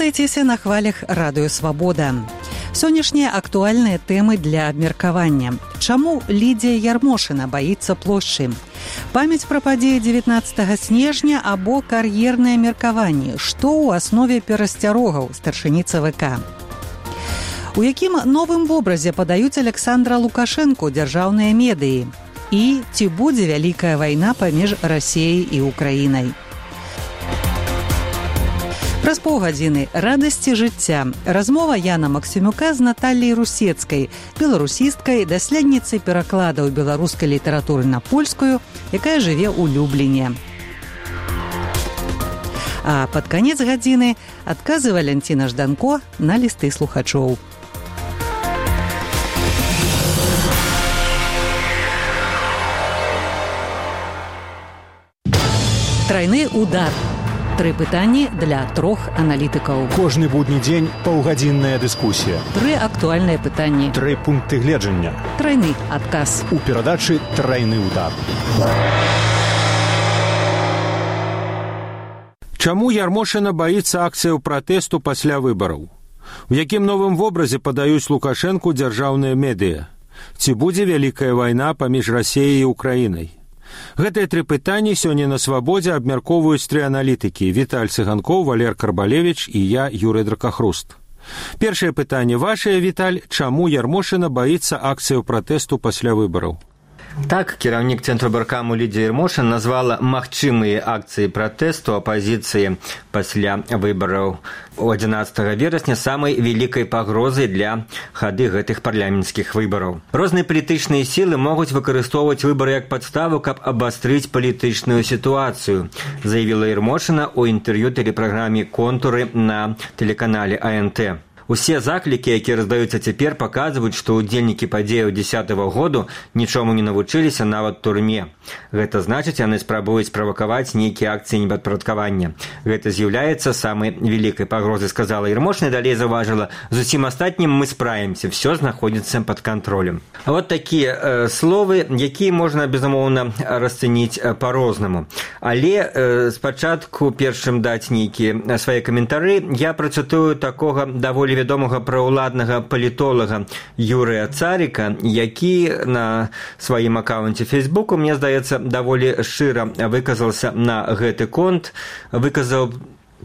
Вітайцеся на хвалях радыё Свабода. Сённяшнія актуальныя тэмы для абмеркавання. Чаму Лідія Ярмошына баіцца плошчы? Памяць пра падзеі 19 снежня або кар'ерныя меркаванні. Што ў аснове перасцярогаў старшыні ЦВК? У якім новым вобразе падаюць Александра Лукашэнку дзяржаўныя медыі? І ці будзе вялікая вайна паміж Расіяй і Украінай? Праз паўгадзіны радасці жыцця. Размова Яна Максімюка з Наталляй Русецкай, беларусісткай, даследніцай перакладаў беларускай літаратуры на польскую, якая жыве ў Любліне. А пад канец гадзіны адказы Валянціна Жданко на лісты слухачоў. Трайны удар. 3 пытанні для 3 аналітыкаў. Кожны будні дзень паўгадзінная дыскусія. 3 актуальныя пытанні. 3 пункты гледжання. Трайны адказ. У перадачы «Трайны удар». Чаму Ярмошына баіцца акцыяў пратэсту пасля выбараў? У якім новым вобразе падаюць Лукашэнку дзяржаўныя медыа? Ці будзе вялікая вайна паміж Расіяй і Украінай? Гэтыя 3 пытанні сёння на Свабодзе абмяркоўваюць 3 аналітыкі: Віталь Цыганкоў, Валер Карбалевіч і я, Юрый Дракахруст. Першае пытанне вашае, Віталь: чаму Ярмошына баіцца акцыяў пратэсту пасля выбараў? Так, кіраўнік Цэнтру Баркаму Лідія Ярмошына назвала магчымыя акцыі пратэсту апазіцыі пасля выбараў 11 верасня самай вялікай пагрозай для хады гэтых парламенцкіх выбараў. Розныя палітычныя сілы могуць выкарыстоўваць выбары як падставу, каб абастрыць палітычную сітуацыю, заявіла Ярмошына ў інтэрв'ю тэлепраграме «Контуры» на тэлеканале АНТ. Усе заклікі, якія раздаюцца цяпер, паказваюць, што ўдзельнікі падзеяў 10-го году нічому не навучыліся нават турме. Гэта значыць, яны спрабуюць правакаваць нейкія акцыі непадпарадкавання. Гэта з'яўляецца самай вялікай пагрозай, сказала Ярмошына, далей заўважыла: з усім астатнім мы справімся, все знаходзіцца пад кантролем. А вот такія словы, якія можна, безумоўна, расцэніць па-рознаму. Але спачатку першым даць нейкія свае каментары я працытую такога даволі вядомага праўладнага палітолага Юрыя Царіка, які на сваім акаунце Фейсбуку, мне здаецца, даволі шчыра выказаўся на гэты конт, выказаў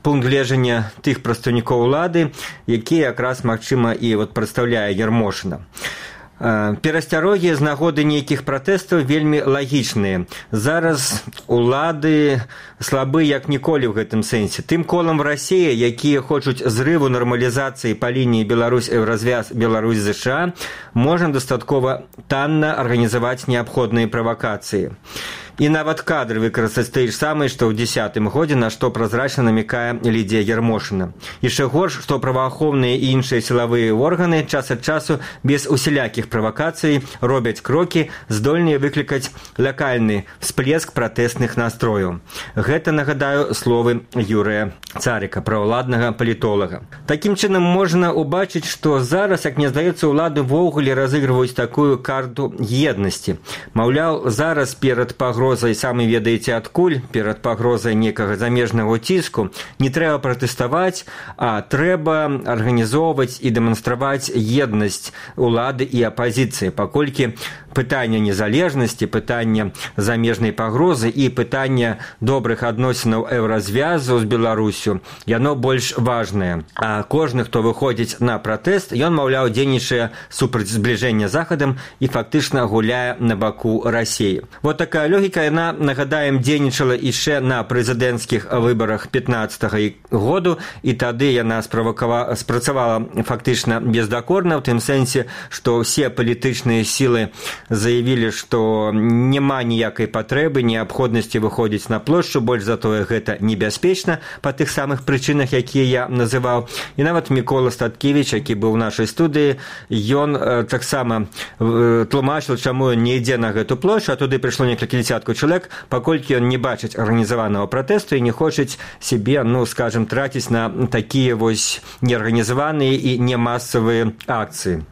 пункт гледжання тых прадстаўнікоў улады, які якраз, магчыма, і прадстаўляе Ярмошына. Перасцярогі з нагоды нейкіх пратэстаў вельмі лагічныя. Зараз улады слабы як ніколі ў гэтым сэнсе. Тым колам в Расіі, якія хочуць зрыву нармалізацыі па лініі Беларусь-Еўразвяз, Беларусь-ЗША, можна дастаткова танна арганізаваць неабходныя правакацыі. І нават кадры выкарыстаць тыя ж самыя, што ў 10-м годзе, на што празрачна намякае Лідія Ярмошына. Яшчэ горш, што праваахоўныя і іншыя сілавыя органы час ад часу без усялякіх правакацый робяць крокі, здольныя выклікаць лакальны всплеск пратэсных настрояў. Гэта, нагадаю, словы Юрыя Царіка, праўладнага палітолага. Такім чынам можна ўбачыць, што зараз, як мне здаецца, улады ввогуле разыгрываюць такую карту еднасці. Маўляў, зараз перад пагрозай, самі ведаеце адкуль, перад пагрозай некага замежнага ціску, не трэба пратэставаць, а трэба арганізоўваць і дэманстраваць еднасць улады і апазіцыі, паколькі пытанне незалежнасці, пытанне замежнай пагрозы і пытанне добрых адносінаў еўразвязу з Беларусю, яно больш важнае. А кожны, хто выходзіць на пратэст, ён, маўляў, дзейнічае супраць збліжэння з Захадам і фактычна гуляе на баку Расіі. Вот такая логіка, яна, нагадаем, дзейнічала яшчэ на прэзідэнцкіх выбарах 15-го году, і тады яна спрацавала фактычна бездакорна, ў тым сэнсе, што ўсе палітычныя сілы заявілі, што няма ніякай патрэбы, неабходнасці выходзіць на плошчу, больш затое гэта небяспечна па тых самых прычынах, якія я называў. І нават Мікола Статкевіч, які быў у нашай студыі, ён таксама тлумачыў, чаму ён не ідзе на гэту плошчу, а туды прыйшло некалькі дзясяткаў чалавек, паколькі ён не бачыць арганізаванага пратэсту і не хочуць сябе, скажем, траціць на такія неарганізаваныя і немасавыя акцыі.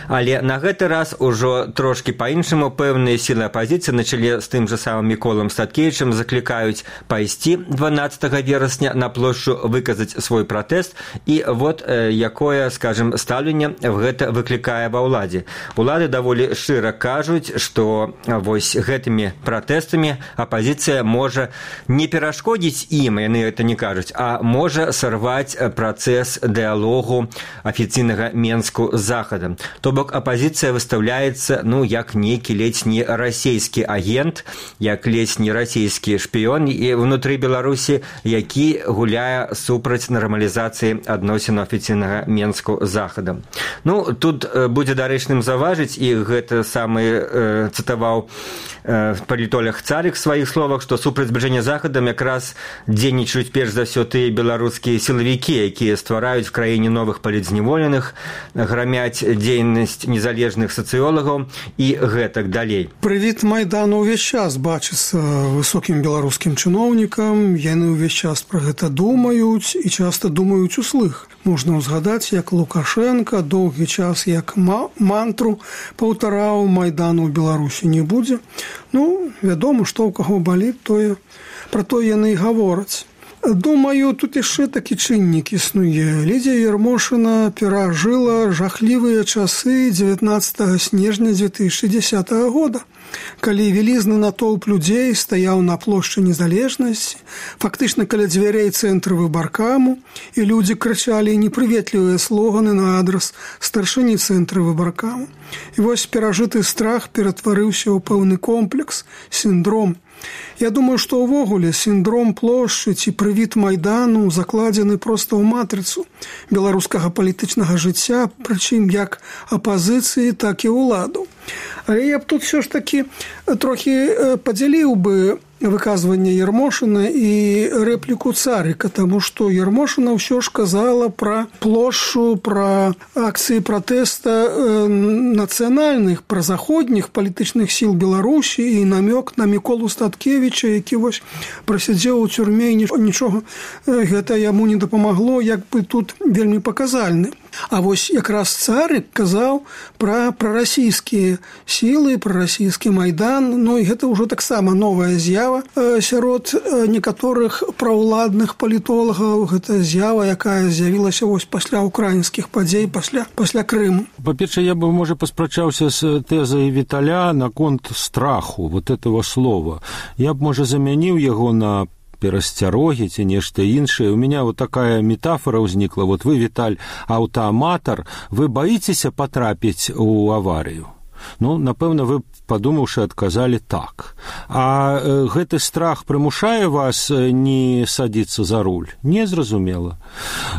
Але на гэты раз ужо трошкі па-іншаму пэўныя сілы апазіцыі на чале з тым жа самым Міколам Статкевічам заклікаюць пайсці 12 верасня на плошчу, выказаць свой пратэст, і вот якое, скажем, стаўленне гэта выклікае ва ўладзе. Улады даволі шчыра кажуць, што вось гэтымі пратэстамі апазіцыя можа не перашкодзіць ім, яны гэта не кажуць, а можа сарваць працэс дыялогу афіцыйнага Менску з Захадам. То бок апазіцыя выстаўляецца, як нейкі ледзь не расійскі агент, як ледзь не расійскі шпіён і ўнутры Беларусі, які гуляе супраць нармалізацыі адносін афіцыйнага Менску з Захадам. Тут будзе дарэчным заважыць, і гэта самы цытаваў палітолог Царик в сваіх словах, што супраць збліжэння з Захадам якраз дзейнічаюць перш за ўсё тыя беларускія сілавікі, якія ствараюць в краіне новых палітзняволеных, грамяць дзейнасць незалежных сацыёлагаў і гэтак далей. Прывід Майдану ўвесь час бачыцца высокім беларускім чыноўнікам, яны ўвесь час пра гэта думаюць і часта думаюць услых. Можна ўзгадаць, як Лукашенко доўгі час як мантру паўтараў Майдану ў Беларусі не будзе. Вядома, што ў каго баліць, пра тое яны і гавораць. Думаю, тут яшчэ такі чыннік існуе. Лідзія Ярмошына перажыла жахлівыя часы 19 снежня 2010 года, калі вялізны натоўп людзей стаяў на плошчы Незалежнасці, фактычна каля дзвярэй цэнтра выбаркаму, і людзі крычалі непрыветлівыя слоганы на адрас старшыні цэнтра выбаркаму. І вось перажыты страх ператварыўся ў пэўны комплекс, сіндром. Я думаю, што ўвогуле сіндром плошчы ці прывід Майдану закладзены проста ў матрыцу беларускага палітычнага жыцця, прычым як апазіцыі, так і ўладаў. Але я б тут все ж таки трохі падзяліў бы выказванне Ярмошына і рэпліку Царика, таму што Ярмошына ўсё ж казала пра плошчу, пра акцыі пратэста нацыянальных, пра заходніх палітычных сіл Беларусі і намёк на Міколу Статкевіча, які вось прасядзеў у цюрме і нічога гэта яму не дапамагло, як бы тут вельмі паказальны. А вось якраз Царик казаў пра расійскія сілы, пра расійскі Майдан, і гэта ўжо таксама новая з'ява сярод некаторых праўладных палітолагаў. Гэта з'ява, якая з'явілася вось пасля украінскіх падзей, пасля Крыму. Па-першае, я бы, можа, паспрачаўся з тэзай Віталя наконт страху, вот этого слова. Я б, можа, замяніў яго на перасцярогі ці нешта іншае. У меня вот такая метафора ўзнікла. Вот вы, Віталь, аўтааматар, вы баіцеся патрапіць у аварыю? Напэўна, вы, падумаўшы, адказалі так. А гэты страх прымушае вас не садзіцца за руль? Не, зразумела.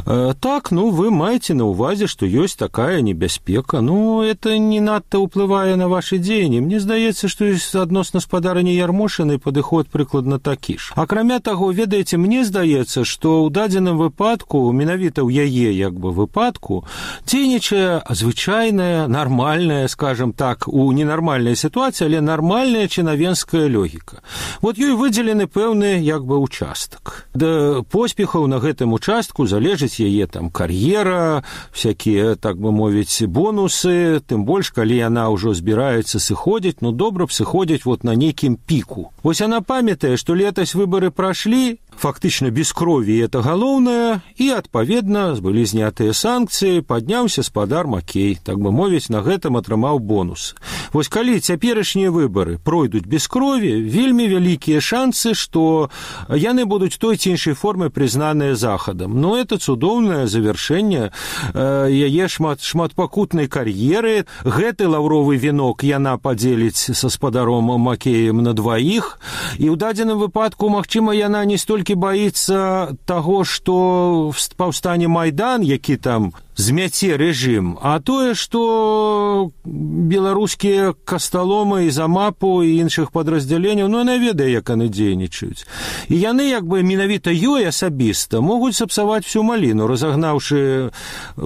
Так, вы маеце на ўвазе, што ёсць такая небяспека. Это не надта ўплывае на вашы дзеянні. Мне здаецца, што адносна спадарні Ярмошынай падыход прыкладна такі ж. Акрамя таго, ведаеце, мне здаецца, што ў дадзеным выпадку, менавіта ў яе выпадку, дзейнічае звычайная, нармальная, скажем так, у ненармальнай сітуацыі, але нармальная чынавенская логіка. Вот ёй выдзелены пэўны участак. Да поспехаў на гэтым участку залежыць яе кар'ера, всякія, так бы мовіць, бонусы, тым больш, калі яна ўжо збіраецца сыходзіць, добра б сыходзіць на нейкім піку. Вось яна памятае, што летась выбары прашлі, фактычна без крові, это галоўнае, і, адпаведна, былі знятыя санкцыі, падняўся спадар Макей, так бы мовіць, на гэтым атрымаў бонус. Вось калі цяперашнія выбары пройдуць без крові, вельмі вялікія шансы, што яны будуць той ці іншай формы прызнаныя Захадам. Это цудоўнае завяршэнне яе шматпакутнай кар'еры. Гэты лаўровы венок яна падзеліць са спадаром Макеем на дваіх, і ў дадзеным выпадку, магчыма, яна не столькі баіцца таго, што паўстане Майдан, які змяце рэжым, а тое, што беларускія касталомы і замапу і іншых падраздзяленняў, яна ведае, як яны дзейнічаюць. І яны, менавіта ёй асабіста, могуць сапсаваць всю маліну, разагнаўшы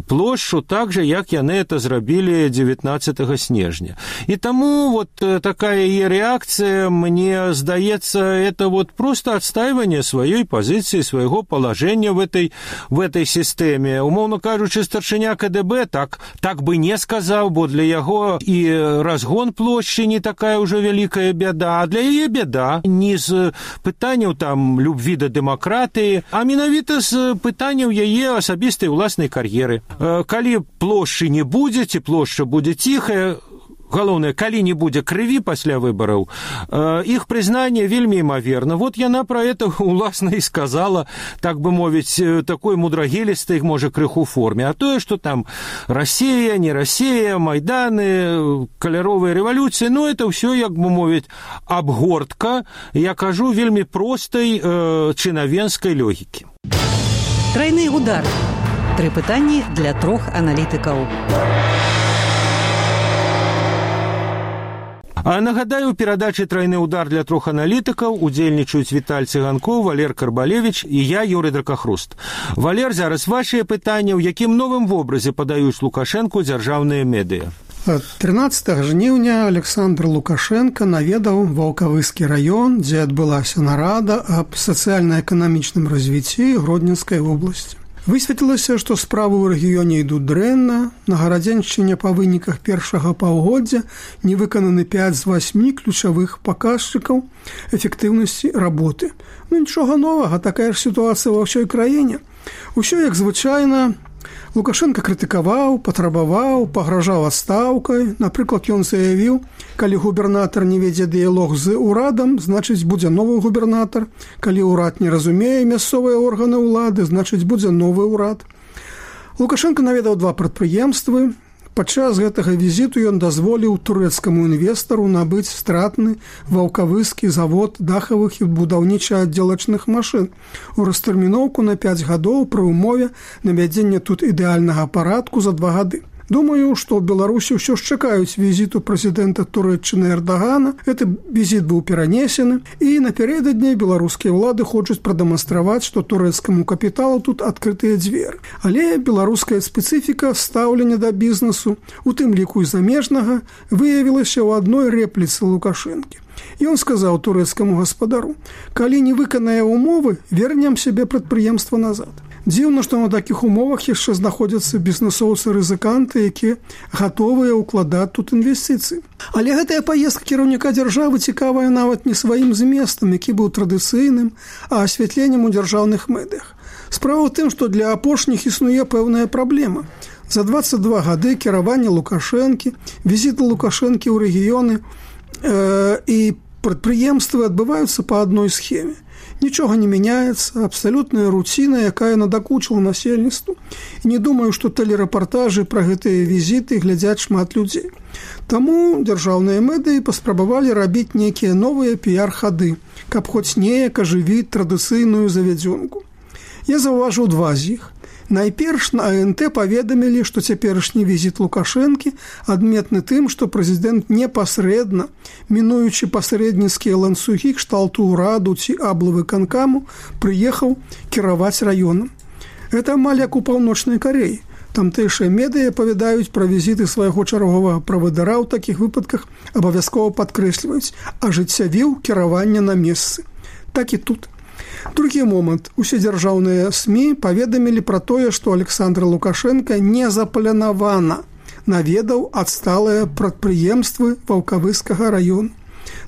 плошчу так же, як яны это зрабілі 19 снежня. І таму такая яе рэакцыя, мне здаецца, это просто адстайванне сваёй пазіцыі, свайго палажэння в этой сістэме. Умоўна кажучы, старшыня старшыня КДБ так бы не сказаў, бо для яго і разгон плошчы не такая ўжо вялікая бяда, а для яе бяда не з пытанняў там любві да дэмакратыі, а менавіта з пытанняў яе асабістай уласнай кар'еры. Калі плошчы не будзе, ці плошча будзе ціхая, галоўнае, калі не будзе крыві пасля выбараў, іх прызнанне вельмі імаверна. Вот яна пра это уласна і сказала, так бы мовіць, такой мудрагелістай, можа, крыху форме. А тое, што там Расія, не Расія, майданы, каляровыя рэвалюцыі, ну, это ўсё, як бы мовіць, абгортка, я кажу, вельмі простай чынавенскай логікі. Трайны удар. 3 пытанні для 3 аналітыкаў. А нагадаю, у перадачы «Трайны удар» для 3 аналітыкаў удзельнічаюць Віталь Цыганкоў, Валер Карбалевіч і я, Юрый Дракахруст. Валер, зараз вашыя пытанні, у якім новым вобразе падаюць Лукашэнку дзяржаўныя медыя? 13 жніўня Александр Лукашенко наведаў Ваўкавыскі раён, дзе адбылася нарада аб сацыяльна-эканамічным развіцці Гродненскай вобласці. Высветлілася, што справы ў рэгіёне ідуць дрэнна. На Гарадзеншчыне па выніках першага паўгоддзя не выкананы 5 з 8 ключавых паказчыкаў эфектыўнасці работы. Ну, нічога новага, такая ж сітуацыя ва ўсёй краіне. Усё як звычайна. Лукашенко крытыкаваў, патрабаваў, пагражаў адстаўкай. Напрыклад, ён заявіў, калі губернатар не вядзе дыялог з урадам, значыць, будзе новы губернатар. Калі ўрад не разумее мясцовыя органы ўлады, значыць, будзе новы ўрад. Лукашенко наведаў 2 прадпрыемствы. Падчас гэтага візіту ён дазволіў турэцкаму інвестару набыць стратны ваўкавыскі завод дахавых і будаўніча-аддзелачных машын у растэрміноўку на 5 гадоў пры ўмове навядзення тут ідэальнага парадку за 2 гады. Думаю, што ў Беларусі ўсё ж чакаюць візіту прэзідэнта Турэччыны Эрдагана. Гэты візіт быў перанесены, і напярэдадні беларускія ўлады хочуць прадэманстраваць, што турэцкаму капіталу тут адкрытыя дзверы. Але беларуская спецыфіка стаўлення да бізнесу, у тым ліку і замежнага, выявілася ў адной рэпліцы Лукашэнкі. Ён сказаў турэцкаму гаспадару: «Калі не выканае ўмовы, вернем сябе прадпрыемства назад». Дзіўна, што на такіх умовах яшчэ знаходзяцца бізнесоўцы-рызыканты, якія гатовыя ўкладаць тут інвестыцыі. Але гэтая паездка кіраўніка дзяржавы цікавая нават не сваім зместам, які быў традыцыйным, а асвятленнем у дзяржаўных медыях. Справа ў тым, што для апошніх існуе пэўная праблема. За 22 гады кіравання Лукашэнкі, візіты Лукашэнкі ў рэгіёны і прадпрыемствы адбываюцца па адной схеме. Нічога не мяняецца, абсалютная руціна, якая надакучыла насельніцтву. І не думаю, што тэлерэпартажы пра гэтыя візіты глядзяць шмат людзей. Таму дзяржаўныя медыі паспрабавалі рабіць нейкія новыя піяр-хады, каб хоць неяк ажывіць традыцыйную завядзёнку. Я заўважыў 2 з іх. Найперш на АНТ паведамілі, што цяперашні візіт Лукашэнкі адметны тым, што прэзідэнт непасрэдна, мінуючы пасрэдніцкія ланцугі кшталту ўраду ці аблвыканкаму, прыехаў кіраваць раёнам. Гэта амаль як у Паўночнай Карэі. Тамтэйшыя медыа павядаюць пра візіты свайго чарговага правадыра ў такіх выпадках, абавязкова падкрэсліваюць, ажыццявіў кіраванне на месцы. Так і тут. Другі момант. Усе дзяржаўныя СМІ паведамілі пра тое, што Александр Лукашенко незапланавана наведаў адсталыя прадпрыемствы Ваўкавыскага раёну.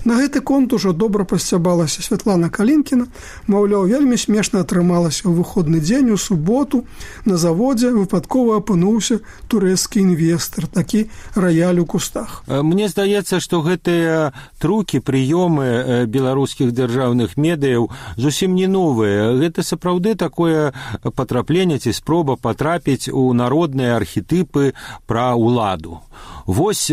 На гэты конт ужо добра пасцябалася Святлана Калінкіна. Маўляў, вельмі смешна атрымалася ў выходны дзень у суботу. На заводзе выпадкова апынуўся турэцкі інвестар, такі раяль у кустах. Мне здаецца, што гэтыя трукі, прыёмы беларускіх дзяржаўных медыяў зусім не новыя. Гэта сапраўды такое патрапленне ці спроба патрапіць у народныя архетыпы пра ўладу. Вось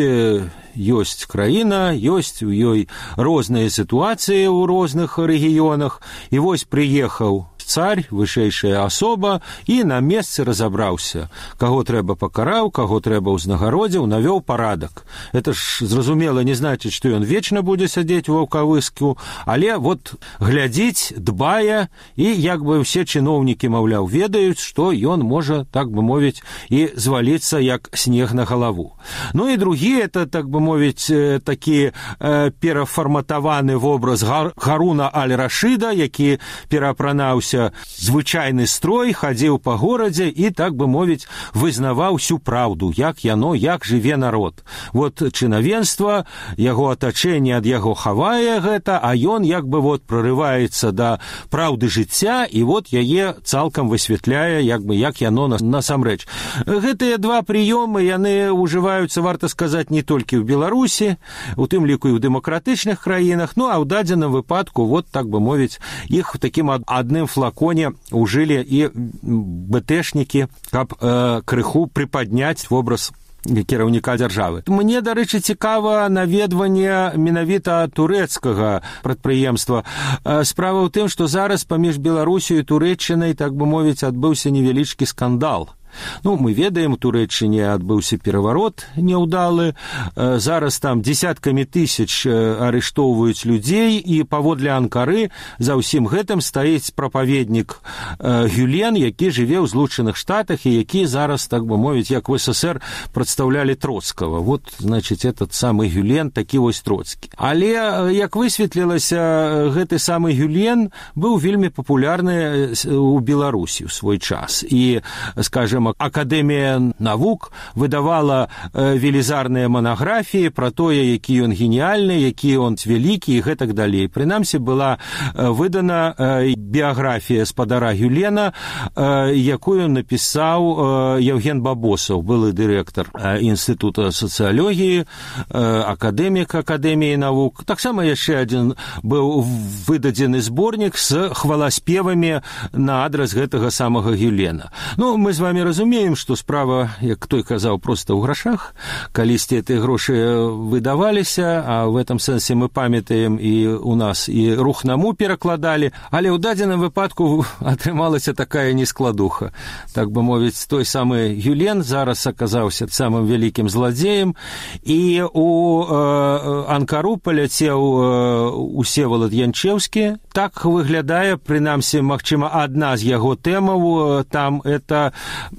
ёсць краіна, ёсць у ёй розныя сітуацыі ў розных рэгіёнах, і вось прыехаў царь, вышэйшая асоба, і на месцы разабраўся. Каго трэба пакараў, каго трэба ўзнагародзіў, навёў парадак. Это ж, зразумела, не значыць, што ён вечна будзе сядзець у Ваўкавыску, але вот глядзіць, дбае, і як бы ўсе чыноўнікі, маўляў, ведаюць, што ён можа, так бы мовіць, і зваліцца як снег на галаву. Ну і другі, это, так бы мовіць, такі перафарматаваны вобраз Харуна аль-Рашыда, які пераапранаўся абаўся звычайны строй, хадзіў па горадзе і, так бы мовіць, вызнаваў всю праўду, як жыве народ. Вот чынавенства, яго атачэнне ад яго хавае гэта, а ён як бы прорываецца да праўды жыцця і яе цалкам высвятляе, як яно насамрэч. Гэтыя два прыёмы, яны ўжываюцца, варта сказаць, не толькі ў Беларусі, у тым ліку і ў дэмакратычных краінах, а ў дадзеным выпадку, так бы мовіць, іх в такім адным флаконе ўжылі і БТшнікі, каб крыху прыпадняць вобраз кіраўніка дзяржавы. Мне, дарэчы, цікава наведванне менавіта турэцкага прадпрыемства. Справа ў тым, што зараз паміж Беларусю і Турэччынай, так бы мовіць, адбыўся невялічкі скандал. Мы ведаем, у Турэччыне адбыўся пераварот няўдалы, зараз там дзесяткамі тысяч арыштоўваюць людзей, і паводле Анкары за ўсім гэтым стаіць прапаведнік Гюлен, які жыве ў Злучаных Штатах і які зараз, так бы мовіць, як в СССР прадстаўлялі Троцкага. Значыць, этот самы Гюлен, такі Троцкі. Але, як высветлілася, гэты самы Гюлен быў вельмі папулярны ў Беларусі ў свой час. І, скажем, Акадэмія навук выдавала велізарныя манаграфіі пра тое, які ён геніальны, які ён вялікі і гэтак далей. Прынамсі, была выдана біяграфія спадара Гюлена, якую напісаў Евген Бабосаў, былы дырэктар Інстытута сацыялогіі, акадэмік Акадэміі навук. Таксама яшчэ адзін быў выдадзены зборнік з хваласпевамі на адрас гэтага самага Гюлена. Мы з вами разумеем, што справа, як той казаў, проста ў грашах. Калісьці гэтыя грошы выдаваліся, а в этом сэнсе мы памятаем і у нас і рухнаму перакладалі, але ў дадзеным выпадку атрымалася такая нескладуха. Так бы мовіць, той самы Гюлен зараз аказаўся самым вялікім зладзеем, і у Анкару паляцеў Усевалад Янчэўскі. Так выглядае, прынамсі, магчыма, адна з яго тэмаў, там это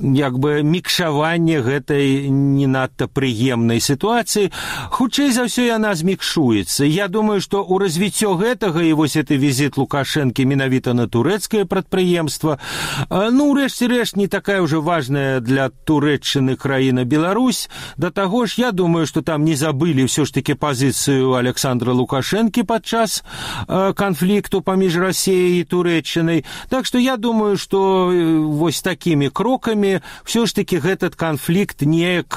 як бы мікшаванне гэтай не надта прыемнай сітуацыі. Хутчэй за ўсё яна змікшуецца. Я думаю, што ў развіццё гэтага і гэты візіт Лукашэнкі менавіта на турэцкае прадпрыемства, рэшце рэшт, не такая ўжо важная для Турэччыны краіна Беларусь. Да таго ж, я думаю, што там не забылі ўсё ж такі пазіцыю Александра Лукашэнкі падчас канфлікту паміж Расіяй і Турэччынай. Так што я думаю, што вось такімі крокамі ўсё ж такі гэтат канфлікт неяк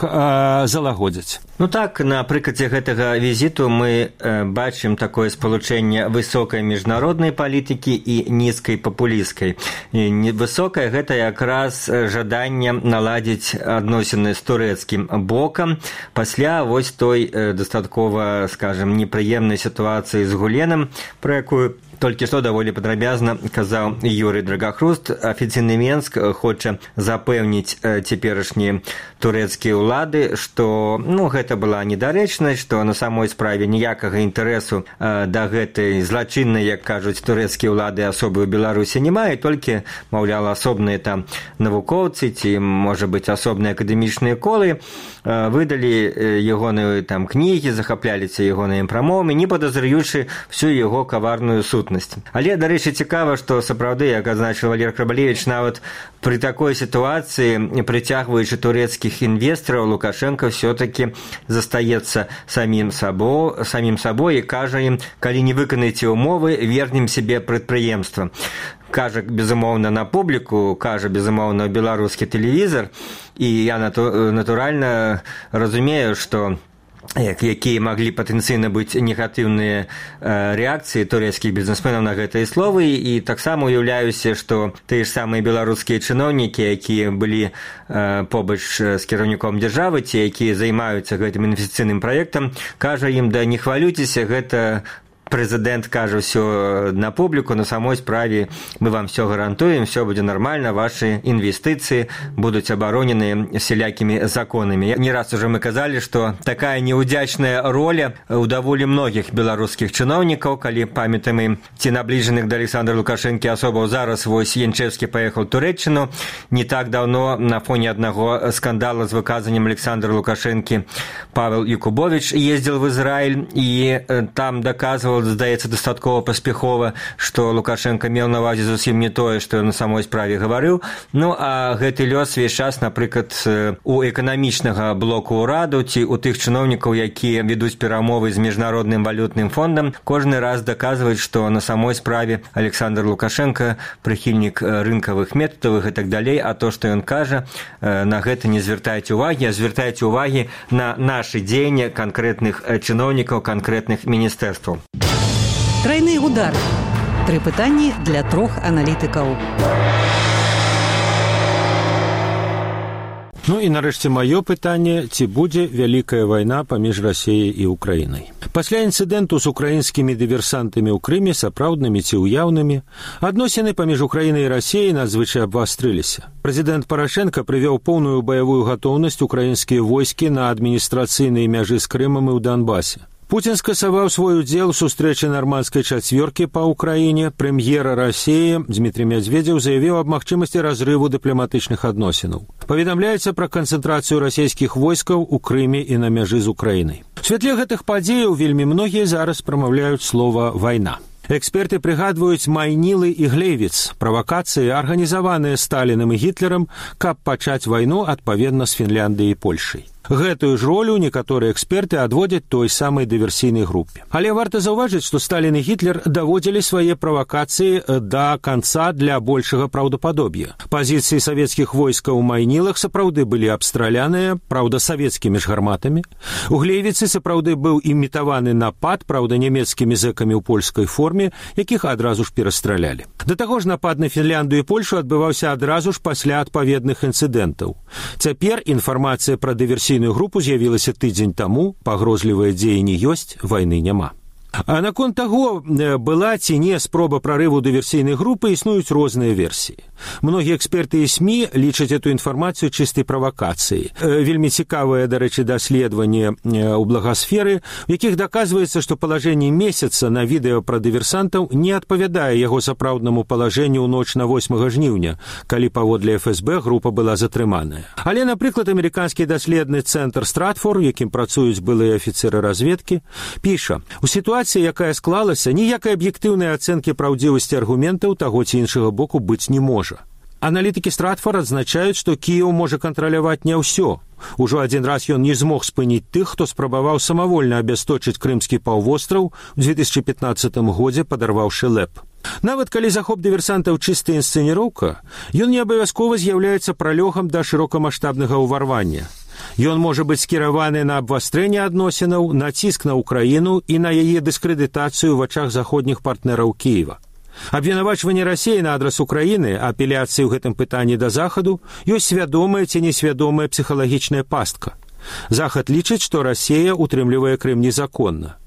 залагодзяць. Так, на прыкладзе гэтага візіту мы бачым такое спалучэнне высокай міжнароднай палітыкі і нізкай папулісцкай. Высокая гэта якраз жаданне наладзіць адносіны з турэцкім бокам пасля вось той дастаткова, скажем, непрыемнай сітуацыі з Гуленам, пра якую толькі што даволі падрабязна казаў Юрый Драгахруст. Афіцыйны Менск хоча запэўніць цяперашнія турэцкія ўлады, што гэта была недарэчнасць, што на самой справе ніякага інтарэсу да гэтай злачыннай, як кажуць турэцкія ўлады, асобы ў Беларусі не мае, толькі, маўляў, асобныя там навукоўцы ці, можа быць, асобныя акадэмічныя колы выдалі ягоныя там кнігі, захапляліся ягонымі прамовамі, не падазраючы всю яго каварную сутнасць. Але, дарэчы, цікава, што сапраўды, як адзначыў Валерый Крабалевіч, нават пры такой сітуацыі, прыцягваючы турэцкіх інвестараў, Лукашенко все-таки застаецца самім сабой і кажа ім: калі не выканаеце умовы, вернем себе прадпрыемства. Кажа, безумоўна, на публіку, кажа, безумоўна, беларускі тэлевізар, і я натуральна разумею, што якія маглі патэнцыйна быць негатыўныя рэакцыі турэцкіх бізнесменаў на гэтыя словы, і таксама уяўляюся, што тыя ж самыя беларускія чыноўнікі, якія былі побач з кіраўніком дзяржавы, ці якія займаюцца гэтым інвестыцыйным праектам, кажа ім: да не хвалюйцеся, гэта прэзідэнт кажа ўсё на публіку, на самой справе мы вам все гарантуем, все будзе нармальна, ваши інвестыцыі будуць абаронены сялякімі законамі. Не раз уже мы казалі, што такая неудзячная роля у даволі многіх беларускіх чыноўнікаў, калі памятаем ці набліжаных да Александра Лукашэнкі асобаў. Зараз вось Янчэўскі паехаў у Турэччыну. Не так даўно на фоне аднаго скандала з выказаннем Александра Лукашэнкі Павел Якубович ездзіў в Ізраіль і там даказваў, тлумачыў, здаецца, дастаткова паспяхова, што Лукашенко меў на ўвазе зусім не тое, што ён на самой справе гаварыў. Ну, а гэты лёс весь час, напрыклад, у эканамічнага блоку ўраду ці у тых чыноўнікаў, якія ведуць перамовы з міжнародным валютным фондам, кожны раз даказваюць, што на самой справе Александр Лукашенко прыхільнік рынкавых метадаў і так далей, а то, што ён кажа, на гэта не звяртайце ўвагі, а звяртайце ўвагі на нашы дзеянні канкрэтных чыноўнікаў, канкрэтных міністэрстваў. Тройны удар. 3 пытанні для 3 аналітыкаў. Ну і нарэшце маё пытанне, ці будзе вялікая вайна паміж Расіяй і Украінай. Пасля інцыдэнту з украінскімі дыверсантамі ў Крыме, сапраўднымі ці ўяўнымі, адносіны паміж Украінай і Расіяй надзвычай абвастрыліся. Прэзідэнт Парашенка прывёў поўную баявую гатоўнасць украінскія войскі на адміністрацыйнай мяжы з Крымам і ў Донбасе. Путін скасаваў свой удзел у сустрэчы нармандскай чацвёркі па ўкраіне. Прэм'ера Расіі Дмітрий Медведзеў заявіў аб магчымасці разрыву дыпламатычных адносінаў. Паведамляецца пра канцэнтрацыю расійскіх войскаў у Крыме і на мяжы з Украінай. У святле гэтых падзеяў вельмі многія зараз прамаўляюць слова «вайна». Эксперты прыгадваюць Майнілы і Глейвіц, правакацыі, арганізаваныя Сталінам і Гітлерам, каб пачаць вайну адпаведна з Фінляндыяй і Польшай. Гэтую ж ролю некаторыя эксперты адводзяць той самай дыверсійнай групе. Але варта заўважыць, што Сталін і Гітлер даводзілі свае правакацыі да канца для большага праўдападоб'я. Пазіцыі савецкіх войскаў у Майнілах сапраўды былі абстраляныя, праўда, савецкімі ж гарматамі. У Глейвіцы сапраўды быў імітаваны напад, праўда, нямецкімі зэкамі ў польскай форме, якіх адразу ж перастралялі. Да таго ж напад на Фінляндыю і Польшу адбываўся адразу ж пасля адпаведных інцыдэнтаў. Цяпер інфармацыя пра дыверсійную групу з'явілася тыдзень таму, пагрозлівыя дзеянні ёсць, вайны няма. А наконт таго, была ці не спроба прарыву дыверсійнай групы, існуюць розныя версіі. Многія эксперты і СМІ лічаць эту інфармацыю чыстай правакацыяй. Вельмі цікавае, дарэчы, даследаванне ў благасферы, у якіх даказваецца, што палажэнне месяца на відэо пра дыверсантаў не адпавядае яго сапраўднаму палажэнню ў ноч на 8 жніўня, калі паводле ФСБ група была затрыманая. Але, напрыклад, амерыканскі даследны цэнтр Стратфор, у якім працуюць былыя афіцеры разведкі, піша: у сітуацыі, якая склалася, ніякай аб'ектыўнай ацэнкі праўдзівасці аргументаў таго ці іншага боку быць не можа. Аналітыкі Стратфор адзначаюць, што Кіеў можа кантраляваць не ўсё. Ужо адзін раз ён не змог спыніць тых, хто спрабаваў самавольна абясточыць крымскі паўвостраў у 2015 годзе, падарваўшы ЛЭП. Нават калі захоп дыверсантаў чыстая інсцэніроўка, ён не абавязкова з'яўляецца пралёгам да шырокамаштабнага ўварвання. Ён можа быць скіраваны на абвастрэнне адносінаў, націск на Украіну і на яе дыскрэдытацыю ў вачах заходніх партнераў Кіева. Абвінавачванне Расіі на адрас Украіны, апеляцыі ў гэтым пытанні да Захаду, ёсць свядомая ці несвядомая псіхалагічная пастка. Захад лічыць, што Расія утрымлівае Крым незаконна.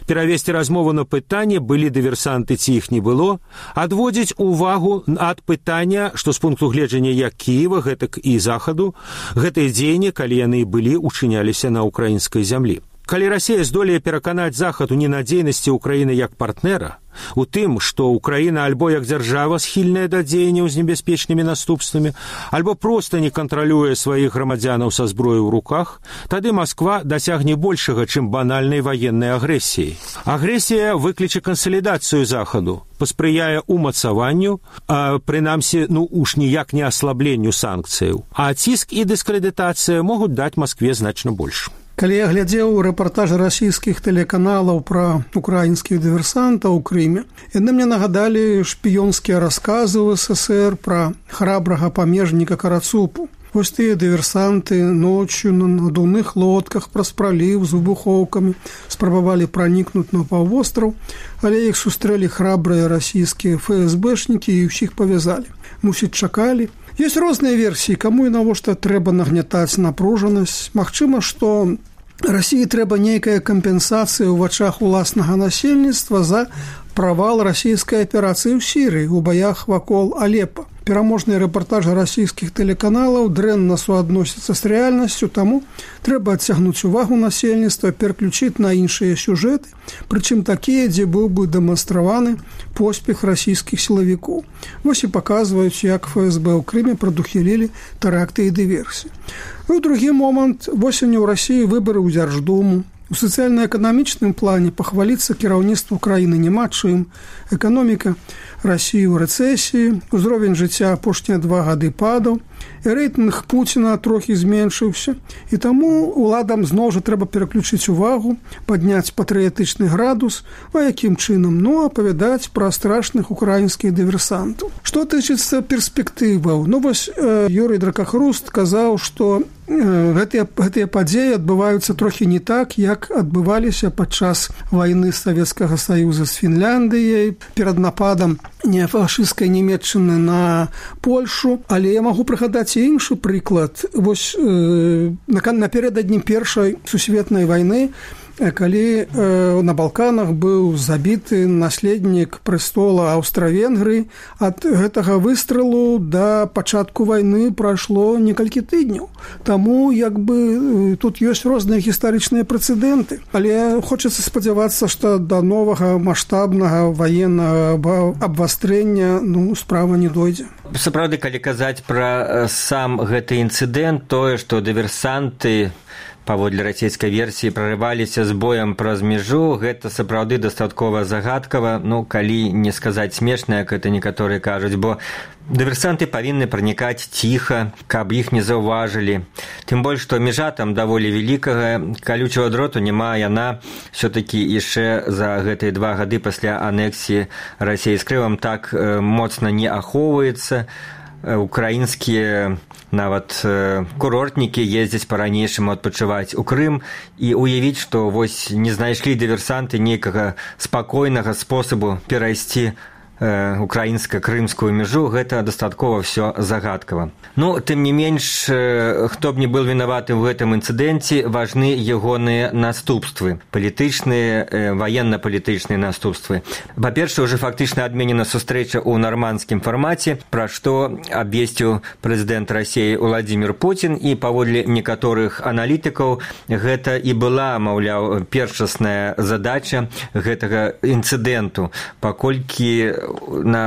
Перавесці размову на пытанне, былі дыверсанты ці іх не было, адводзіць увагу ад пытання, што з пункту гледжання як Кіева, гэтак і Захаду, гэтыя дзеянні, калі яны былі, учыняліся на украінскай зямлі. Калі Расія здолее пераканаць Захад у ненадзейнасці Украіны як партнера, у тым, што Украіна альбо як дзяржава схільная да дзеянняў з небяспечнымі наступствамі, альбо проста не кантралюе сваіх грамадзянаў са зброяй у руках, тады Масква дасягне большага, чым банальнай ваеннай агрэсіяй. Агрэсія выкліча кансалідацыю Захаду, паспрыяе умацаванню, прынамсі, уж ніяк не аслабленню санкцыяў, а ціск і дыскрэдытацыя могуць даць Маскве значна больш. Калі я глядзеў рэпартажы расійскіх тэлеканалаў пра украінскіх дыверсантаў у Крыме, яны мне нагадалі шпіёнскія расказы ў СССР пра храбрага памежніка Карацупу. Вось тыя дыверсанты ночью на надувных лодках праз праліў з выбухоўкамі спрабавалі пранікнуць на паўвостраў, але іх сустрэлі храбрыя расійскія ФСБшнікі і ўсіх павязалі. Мусіць, чакалі. Ёсць розныя версіі, каму і навошта трэба нагнятаць напружанасць. Магчыма, што Расіі трэба нейкая кампенсацыя ў вачах уласнага насельніцтва за правал расійскай аперацыі ў Сірыі у баях вакол Алепа. Пераможныя рэпартажы расійскіх тэлеканалаў дрэнна суадносяцца з рэальнасцю, таму трэба адцягнуць увагу насельніцтва, пераключыць на іншыя сюжэты, прычым такія, дзе быў бы дэманстраваны поспех расійскіх сілавікоў. Вось і паказваюць, як ФСБ ў Крыме прадухілілі тэракты і дыверсіі. У другі момант, восенню ў Расіі выбары ў Дзярждуму. У сацыяльна-эканамічным плане пахваліцца кіраўніцтву краіны няма чым. Эканоміка Расіі ў рэцэсіі, узровень жыцця апошнія 2 гады падаў, і рэйтынг Пуціна трохі зменшыўся. І таму уладам зноў жа трэба пераключыць увагу, падняць патрыятычны градус, а якім чынам? Ну, апавядаць пра страшных украінскіх дыверсантаў. Што тычыцца перспектываў? Ну, вось Юрый Дракахруст казаў, што гэтыя падзеі адбываюцца трохі не так, як адбываліся падчас вайны Савецкага Саюза з Фінляндыяй, перад нападам неафашысцкай Нямецчыны на Польшу. Але я магу прыгадаць і іншы прыклад. Вось напярэдадні Першай сусветнай вайны, калі на Балканах быў забіты наследнік прэстола Аўстра-Венгрыі, ад гэтага выстрэлу да пачатку вайны прайшло некалькі тыдняў. Таму тут ёсць розныя гістарычныя прэцэдэнты. Але хочацца спадзявацца, што да новага маштабнага ваеннага абвастрэння справа не дойдзе. Сапраўды, калі казаць пра сам гэты інцыдэнт, тое, што дыверсанты паводле расійскай версіі прарываліся з боем праз мяжу, гэта сапраўды дастаткова загадкава, калі не сказаць смешна, як гэта некаторыя кажуць, бо дыверсанты павінны пранікаць ціха, каб іх не заўважылі. Тым больш, што мяжа там даволі вялікага, калючага дроту няма, яна ўсё-такі яшчэ за гэтыя 2 гады пасля анексіі Расіі з Крымам так моцна не ахоўваецца. Украінскія нават курортнікі ездзяць па-ранейшаму адпачываць у Крым, і уявіць, што вось не знайшлі дыверсанты нейкага спакойнага спосабу перайсці украінска-крымскую мяжу, гэта дастаткова ўсё загадкава. Тым не менш, хто б не быў вінаваты ў гэтым інцыдэнце, важны ягоныя наступствы, палітычныя, ваенна-палітычныя наступствы. Па-першае, уже фактычна адменена сустрэча ў нармандскім фармаце, пра што абвесціў прэзідэнт Расіі Владзімір Пуцін, і паводле некаторых аналітыкаў гэта і была, маўляў, першасная задача гэтага інцыдэнту, паколькі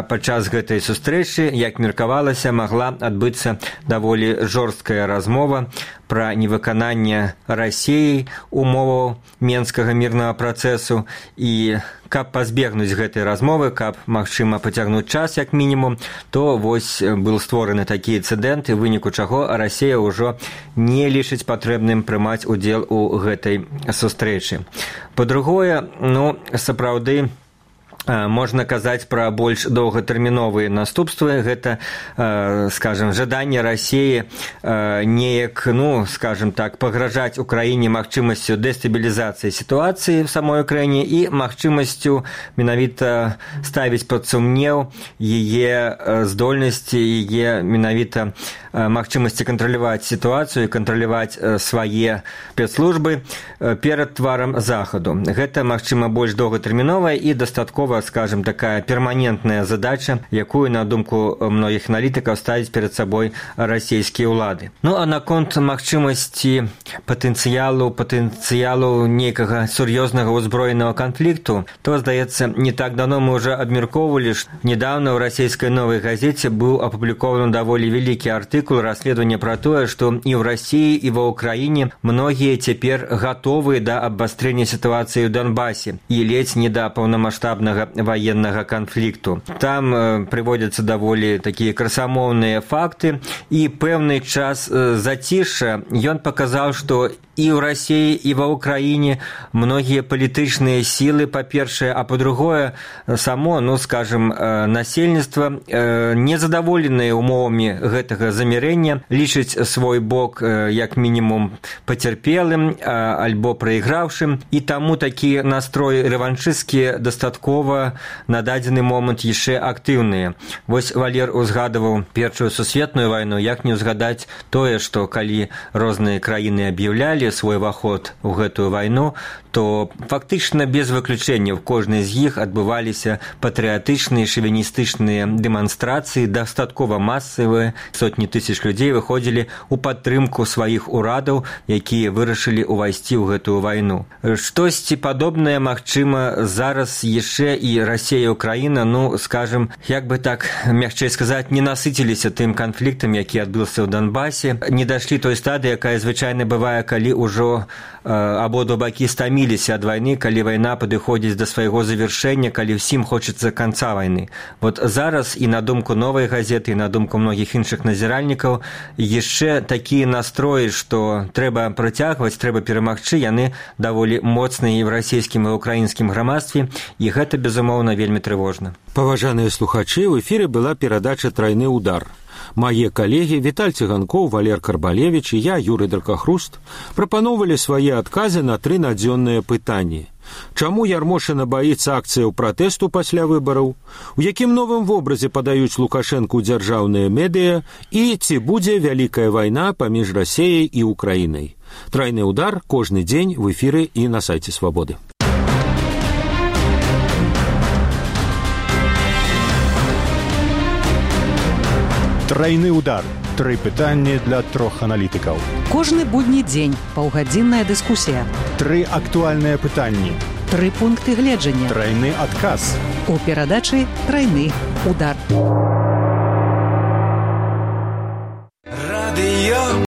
падчас гэтай сустрэчы, як меркавалася, магла адбыцца даволі жорсткая размова пра невыкананне Расіяй умоваў Менскага мірнага працэсу, і каб пазбегнуць гэтай размовы, каб, магчыма, пацягнуць час як мінімум, то вось быў створаны такі інцыдэнт, і ў выніку чаго Расія ўжо не лічыць патрэбным прымаць удзел у гэтай сустрэчы. Па-другое, сапраўды, можна казаць пра больш доўгатэрміновыя наступствы. Гэта, скажем, жаданне Расіі неяк, скажем так, пагражаць Украіне магчымасцю дэстабілізацыі сітуацыі в самой Украіне і магчымасцю менавіта ставіць пад сумнеў яе здольнасці, яе менавіта магчымасці кантраляваць сітуацыю, кантраляваць свае спецслужбы перад тварам Захаду. Гэта, магчыма, больш доўгатэрміновая і дастаткова, скажем, такая перманентная задача, якую, на думку многіх аналітыкаў, ставіць перад сабой расійскія ўлады. А наконт магчымасці патэнцыялу нейкага сур'ёзнага ўзброенага канфлікту, то, здаецца, не так давно мы ўжо абмяркоўвалі, што недавно ў расійскай новай газеце быў апублікаваны даволі вялікі артыкул, расследаванне пра тое, што і ў Расіі, і ва Ўкраіне многія цяпер гатовыя да абвастрэння сітуацыі ў Донбасе і ледзь не да паўнамаштабнага ваеннага канфлікту. Там прыводзяцца даволі такія красамоўныя факты, і пэўны час зацішша ён паказаў, што і ў Расіі, і ва Ўкраіне многія палітычныя сілы, па-першае, а па-другое, само, скажем, насельніцтва незадаволеныя умовамі гэтага замірэння, лічыць свой бок як мінімум пацярпелым альбо прайграўшым, і таму такі настрой рэваншысцкі дастаткова на дадзены момант яшчэ актыўныя. Вось Валер узгадываў Першую сусветную вайну, як не ўзгадаць тое, што калі розныя краіны аб'яўлялі свой уваход у гэтую вайну, то фактычна без выключэнняў кожнай з іх адбываліся патрыятычныя шавіністычныя дэманстрацыі, дастаткова масавыя, сотні тысяч людзей выходзілі ў падтрымку сваіх урадаў, якія вырашылі ўвайсці ў гэтую вайну. Штосьці падобнае магчыма зараз яшчэ і Расія і Украіна, скажем, як бы так мягчэй сказаць, не насыціліся тым канфліктам, які адбыўся ў Донбасе, не дайшлі той стадыі, якая звычайна бывае, калі ўжо абодва бакі стаміліся ад вайны, калі вайна падыходзіць да свайго завяршэння, калі ўсім хочацца канца вайны. Вот зараз і на думку Новай газеты, і на думку многіх іншых назіральнікаў, яшчэ такія настроі, што трэба працягваць, трэба перамагчы, яны даволі моцныя і ў расійскім і ў украінскім грамадстве, і гэта, безумоўна, вельмі трывожна. Паважаныя слухачы, ў эфіры была перадача «Трайны удар». Мае калегі Віталь Цыганкоў, Валер Карбалевіч і я, Юрый Дракахруст, прапаноўвалі свае адказы на 3 надзённыя пытанні. Чаму Ярмошына баіцца акцыяў пратэсту пасля выбараў? У якім новым вобразе падаюць Лукашэнку дзяржаўныя медыя? І ці будзе вялікая вайна паміж Расіяй і Украінай? «Трайны удар» кожны дзень в эфіры і на сайце Свабоды. Трайны удар. 3 пытанні для 3 аналітыкаў. Кожны будні дзень паўгадзінная дыскусія. 3 актуальныя пытанні. 3 пункты гледжання. Трайны адказ. У перадачы «Трайны удар».